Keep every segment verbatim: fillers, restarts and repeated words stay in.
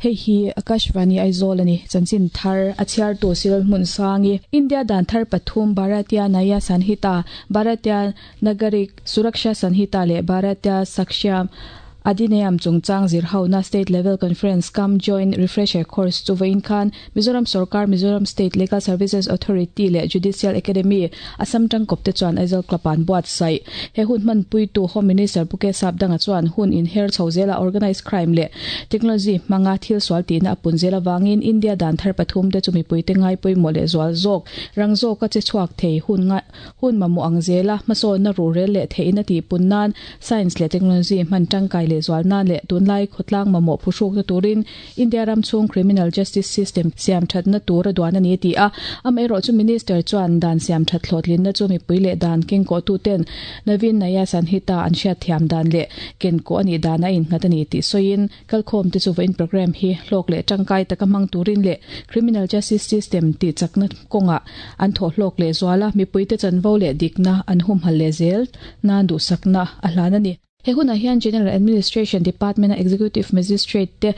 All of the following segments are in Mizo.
Hei hi Akashvani Aizawl ani chanchin thar a chhiar tu sil hmun sangi India dan thar pathum Bharatiya Nyaya Sanhita Bharatiya Nagarik Suraksha Sanhita le Bharatiya Sakshya Adhiniyam chungchang zir hona State Level Conference cum Joint Refresher Course chu vawiin khan Mizoram Sorkar Mizoram State Legal Services Authority leh Judicial Academy Assam tangkawp te chuan Aizawl Club an buatsaih he hun hmanpui tu Home Minister Pu K Sapdanga chuan hun inher chho zela organized crime leh technology hmanga thil sual tihna a pun zel awangin India dan thar pathum te chu mipui te ngai pawimawh leh zual zawk rang zawka che chhuak thei hun nga hun mamawh ang zela hmasawnna ruhrel leh theihna tih pun nan science leh technology hman tangkai leh zual nan leh tunlai khawtlang mamawh phuhruk na turin India ram chhung criminal justice system siam thatna tur a duan ani ti a amaherawh chu minister chuan dan siam that hlawhtlin na chu mipui leh dan keng kawh tu ten Naveen Naya Sanhita an hriat thiam dan leh ken kawh ani dan a innghat ani tih sawiin kalkhawm te chu vawiin program hi hlawk leh tangkai taka hmang turin leh criminal justice system tih chakna kawnga an thawh hlawk leh zuala mipui te chanvo leh dikna an humhal leh zel nan duhsakna a hlan ani. He hunah hian General Administration Department a Executive Magistrate te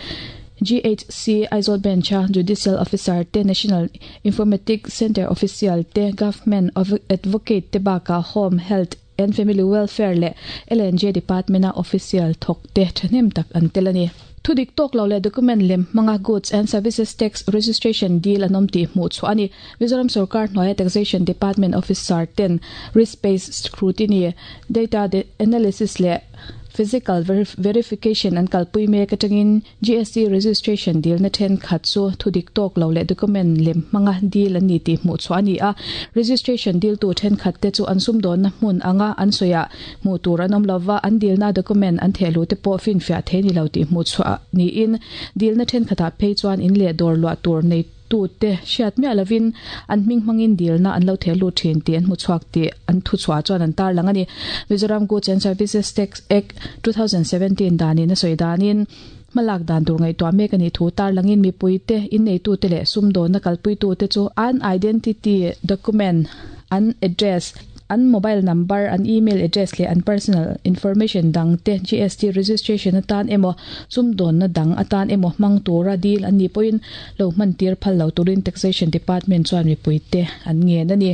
G H C Aizawl Bench a Judicial Officer te National Informatics Center Official te Government Advocate te baka Home Health and Family Welfare leh L N J Department a Official thawk te thahnem tak an tel ani. Thudik tawk lo leh document lem hmanga Goods and Services Tax Registration deal an awm tih hmuh chhuah ani. Mizoram Sarkar hnuaia Taxation Department Officer ten risk-based scrutiny, data analysis leh physical verif-, verification an kalpui mek atangin G S T registration deal na then khat chu thudik tawk lo leh document lem hmanga deal an ni tih hmuh chhuah ani a. Registration deal tu then khat te chu an sum dawn na hmun anga an soya hmuh tur an awm lova an deal na document an thehlu te pawh fin fiah thei ni lo tih hmuh chhuah ni in deal na then khatah phei chuan in leh dawr luah tur nei tu te hriat miah lovin an hming hmangin deal na an lo thehlu thin tih an hmu chhuak tih an thu chhuah chuan an tar lang ani. Mizoram Goods and Services Tax Act two thousand seventeen danin a sawi danin hmalak dan tur ngaihtuah mek ani thu tar langin mipui te in nei tu te leh sum dawn na kalpui tu te chu an identity document an address an mobile number an email address leh an personal information dang te G S T registration atan emaw sum dawn na dang atan emaw hmang tura deal an ni pawhin lo hman tir phal lo turin Taxation Department chuan mipui te an ngen ani.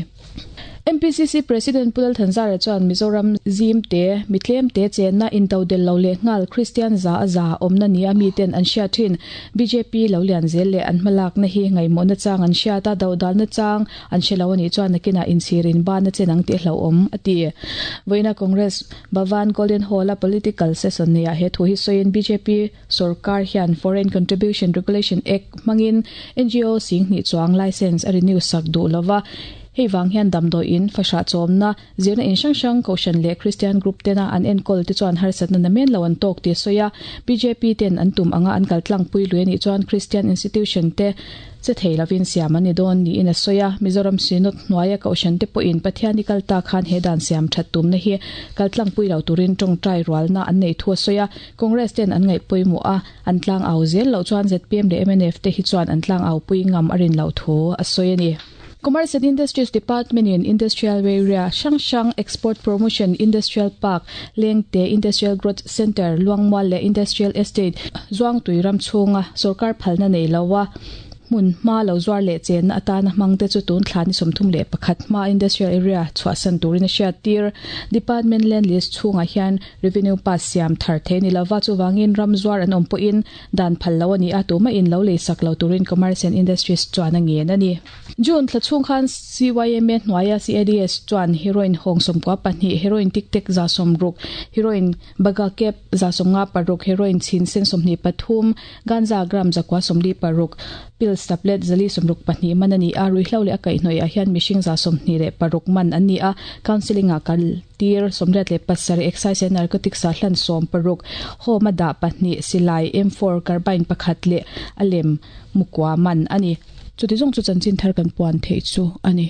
M P C C President Pulal Thanzara chuan Mizoram Zim te mitlem te chenna intodel lo leh ngal Christian za za awmna ni a mi ten an hriat thin B J P lo lian zel leh an hmalak na hi ngaimawh na chang an hriat a dodal na chang an hre lo ani chuan nakina inchhirin ban na chenang ti hlo awm a ti. Vawiina Congress Bhavan Golden Hall a political session nia he thu hi sawiin B J P Sarkar hian Foreign Contribution Regulation Act hmangin N G O sing hnih chuang license a renew sak duh lova. Hei wang hian damdawi in fasha chawmna zirna in hrang hrang Kohhran leh Christian group tena an enkawl te chuan harsatna namen lo an tawk ti sawi a. B J P ten an tum anga an kal tlang pui lui ani chuan Christian institution te che thei lovin siam ani dawn ni in a sawi a. Mizoram Synod hnuaia Kohhran te pawhin Pathian ni kal ta khan he dan siam that tum na hi kal tlang pui lo turin tawngtai rualna an nei thu a sawi a. Congress ten an ngaih pawimawh a an tlang au zel lo chuan Z P M leh M N F te hi chuan an tlang au pui ngam a rin lo thu a sawi ani. Commerce and Industries Department in Industrial Area Shangshang Export Promotion Industrial Park Lengte Industrial Growth Center Luangmual le Industrial Estate Zuang Tuiram chhunga Sarkar phalna nei lowa hmun hma lo zuar leh chen na atana hmang te chu tun thla ni sawmthum leh pakhat hma Industrial Area chhuahsan turin a hriat tir. Department land list chhungah hian revenue pass siam thar the ni lova chuwangin ram zuar an awm pawhin dan phal lo ani a tuma in lo lei sak lo turin Commerce and Industries chuan a ngen ani. June thla chhung khan C Y M A hnuaia C A D S chuan heroin hawng sawmkua pahnih heroin tik tek za sawmruk heroin baga kep za sawmnga paruk heroin chin sen sawmhnih pathum ganja gram zakua sawmli paruk pills tablet zali sawmruk pahnih man ani a. Ruihhlo leh a kaihhnawih ah hian mihring za sawmhnih leh paruk man an ni a. Counselling ah kal tir sawmriat leh pasarih excise and narcotics ah hlan sawm paruk home a dah pahnih silai M four carbine pakhat leh a lem mukua man ani. Chuti zawng chu chanchin thar kan puan theih chu ani.